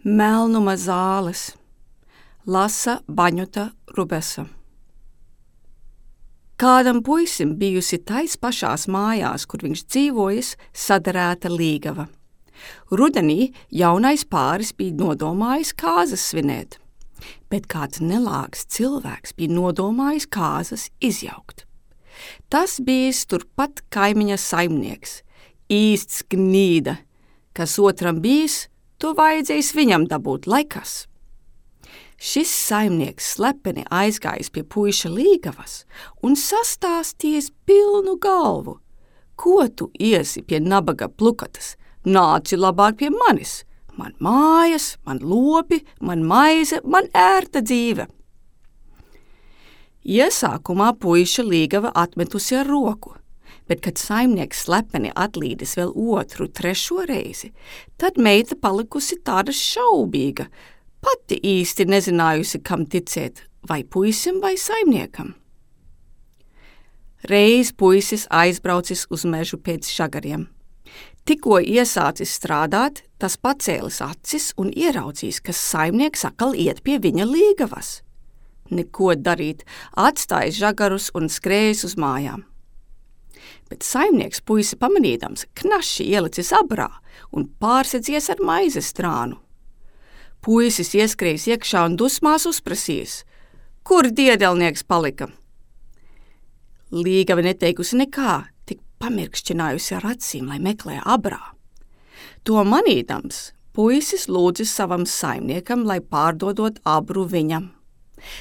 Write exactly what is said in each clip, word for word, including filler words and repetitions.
Melnuma zāles. Lasa Baņuta Rubesa. Kādam puisim bijusi tais pašās mājās, kur viņš dzīvojas, sadarēta līgava. Rudenī jaunais pāris bija nodomājis kāzas svinēt, bet kāds nelāgs cilvēks bija nodomājis kāzas izjaukt. Tas bijis turpat kaimiņa saimnieks, īsts gnīda, kas otram bijis, to vajadzējis viņam dabūt, lai kas. Šis saimnieks slepeni aizgājis pie puiša līgavas un sastāstījis pilnu galvu. Ko tu iesi pie nabaga plukatas? Nāci labāk pie manis. Man mājas, man lopi, man maize, man ērta dzīve. Iesākumā puiša līgava atmetusi ar roku, bet, kad saimnieks slepeni atlīdis vēl otru, trešo reizi, tad meita palikusi tāda šaubīga, pati īsti nezinājusi, kam ticēt, vai puisim vai saimniekam. Reiz puisis aizbraucis uz mežu pēc žagariem. Tikko iesācis strādāt, tas pacēlis acis un ieraudzījis, ka saimnieks atkal iet pie viņa līgavas. Neko darīt, atstājis žagarus un skrējis uz mājām. Bet saimnieks puisi pamanīdams knaši ielicis abrā un pārsedzies ar maizes strānu. Puisis ieskrējis iekšā un dusmās uzprasījis, kur diedelnieks palika. Līgava neteikusi nekā, tik pamirkšķinājusi ar acīm, lai meklē abrā. To manīdams, puisis lūdzis savam saimniekam, lai pārdodot abru viņam.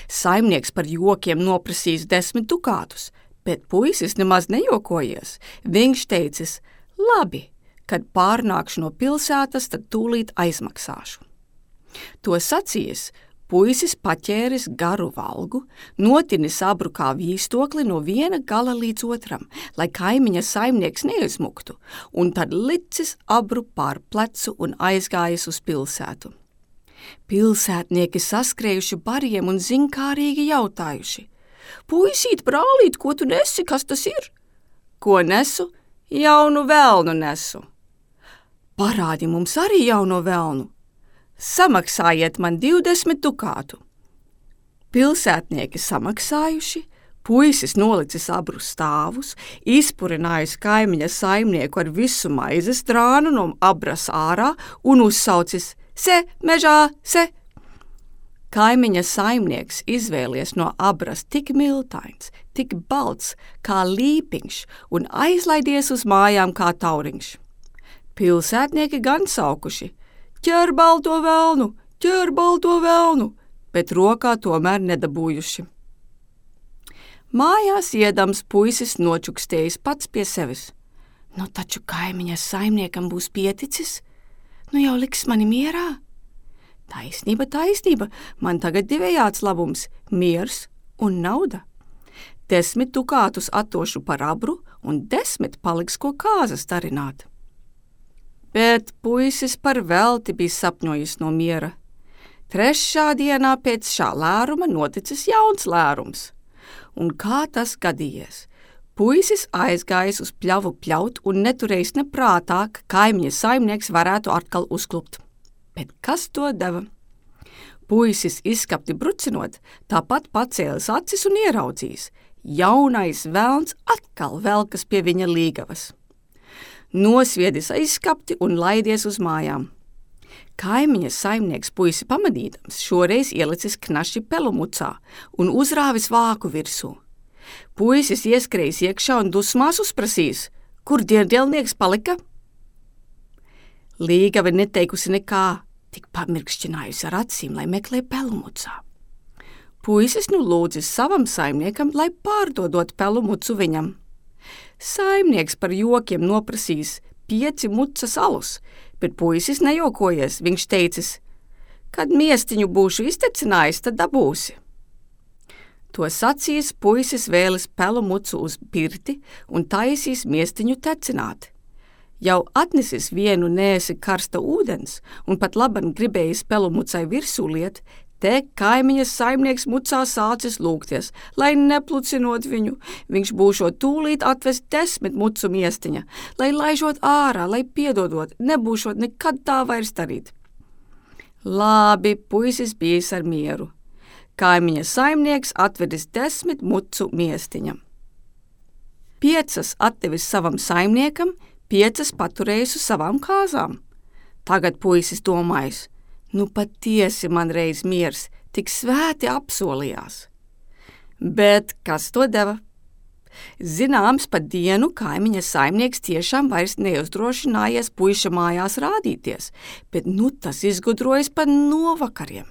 Saimnieks par jokiem noprasījis desmit dukātus, bet puisis nemaz nejokojies. Viņš teicis, labi, kad pārnākšu no pilsētas, tad tūlīt aizmaksāšu. To sacījis, puisis paķēris garu valgu, notinis abru kā vīstokli no viena gala līdz otram, lai kaimiņa saimnieks neizmuktu, un tad licis abru pār plecu un aizgājis uz pilsētu. Pilsētnieki saskrējuši bariem un zinkārīgi jautājuši, puisīt, brālīt, ko tu nesi, kas tas ir? Ko nesu? Jaunu velnu nesu. Parādi mums arī jauno velnu. Samaksājiet man divdesmit dukātu. Pilsētnieki samaksājuši, puisis nolicis abru stāvus, izpurinājis kaimiņa saimnieku ar visu maizes strānu no abras ārā un uzsaucis, se, mežā, se. Kaimiņa saimnieks izvēlies no abras tik miltains, tik balts kā līpiņš un aizlaidies uz mājām kā tauriņš. Pilsētnieki gan saukuši, ķer balto velnu, ķer balto velnu, bet rokā tomēr nedabūjuši. Mājās iedams puisis nočukstējis pats pie sevis. Nu taču kaimiņa saimniekam būs pieticis, nu jau liks mani mierā. Taisnība, taisnība, man tagad divējāds labums, miers un nauda. Desmit dukātus atdošu par abru un desmit paliks ko kāzas darināt. Bet puisis par velti bija sapņojis no miera. Trešā dienā pēc šā lēruma noticis jauns lērums. Un kā tas gadījies? Puisis aizgājis uz pļavu pļaut un neturējis neprātā, ka kaimiņa saimnieks varētu atkal uzklupt. Bet kas to deva? Puisis izskapti brucinot, tāpat pacēlis acis un ieraudzījis. Jaunais velns atkal velkas pie viņa līgavas. Nosviedis aizskapti un laidies uz mājām. Kaimiņa saimnieks puisi pamanīdams šoreiz ielicis knaši pelumucā un uzrāvis vāku virsū. Puisis ieskrējis iekšā un dusmās uzprasījis, kur diedelnieks palika? Līgava neteikusi nekā, tik pamirkšķinājusi ar acīm, lai meklē pelumucā. Puisis nu lūdzis savam saimniekam, lai pārdodot pelumucu viņam. Saimnieks par jokiem noprasījis pieci mucas alus, bet puisis nejokojies, viņš teicis, kad miestiņu būšu iztecinājis, tad dabūsi. To sacījis, puisis vēlis pelu mucu uz pirti un taisīs miestiņu tecināt. Jau atnesis vienu nēsi karsta ūdens un pat laban gribējis pelu mucai virsū liet, te kaimiņas saimnieks mucā sācis lūgties, lai neplucinot viņu, viņš būšot tūlīt atvest desmit mucu miestiņa, lai laižot ārā, lai piedodot, nebūšot nekad tā vairs darīt. Labi, puisis bijis ar mieru. Kaimiņa saimnieks atvedis desmit mucu miestiņam. Piecas atdevis savam saimniekam, piecas paturējis uz savām kāzām. Tagad puisis domājis, nu patiesi man reiz miers, tik svēti apsolījās. Bet kas to deva? Zināms, pa dienu kaimiņa saimnieks tiešām vairs neuzdrošinājies puiša mājās rādīties, bet nu tas izgudrojas pa novakariem.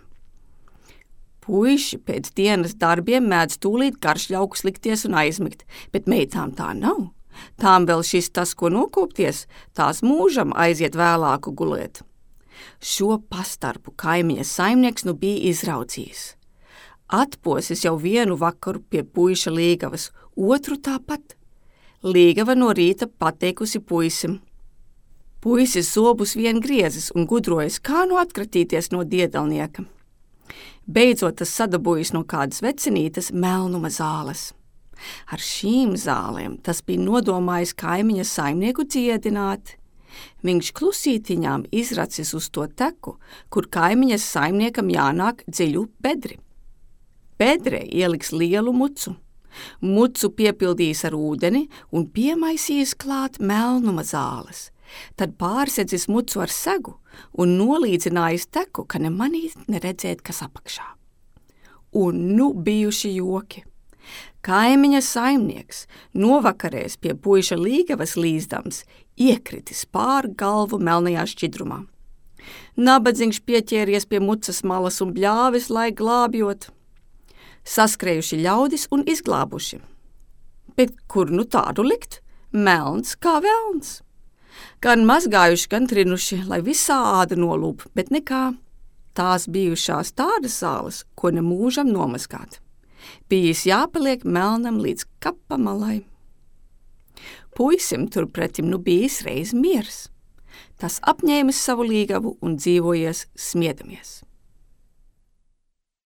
Puiši pēc dienas darbiem mēdz tūlīt garšļaukus likties un aizmigt, bet meitām tā nav. Tām vēl šis tas, ko nokopties, tās mūžam aiziet vēlāku gulēt. Šo pastarpu kaimiņa saimnieks nu bija izraudzījis. Atposis jau vienu vakaru pie puiša līgavas, otru tāpat. Līgava no rīta pateikusi puisim. Puisis zobus vien griezis un gudrojas, kā nu atkratīties no diedelnieka. Beidzot tas sadabūjis no kādas vecinītes melnuma zāles. Ar šīm zālēm tas bija nodomājis kaimiņa saimnieku dziedināt. Viņš klusītiņām izracis uz to teku, kur kaimiņas saimniekam jānāk dziļu bedri. Bedrē ieliks lielu mucu. Mucu piepildījis ar ūdeni un piemaisījis klāt melnuma zāles. Tad pārsedzis mucu ar segu un nolīdzinājis teku, ka ne manīt, ne redzēt, kas apakšā. Un nu bijuši joki. Kaimiņa saimnieks novakarēs pie puiša līgavas līzdams iekritis pār galvu melnajā šķidrumā. Nabadzīgs pieķēries pie mucas malas un bļāvis, lai glābjot. Saskrējuši ļaudis un izglābuši. Bet kur nu tādu likt? Melns kā velns. Gan mazgājuši, gan trinuši, lai visā āda nolūp, bet nekā. Tās bijušās tādas zāles, ko ne mūžam nomazgāt. Bijis jāpaliek melnam līdz kapa malai. Puisim turpretim nu bijis reiz miers. Tas apņēmis savu līgavu un dzīvojies smiedamies.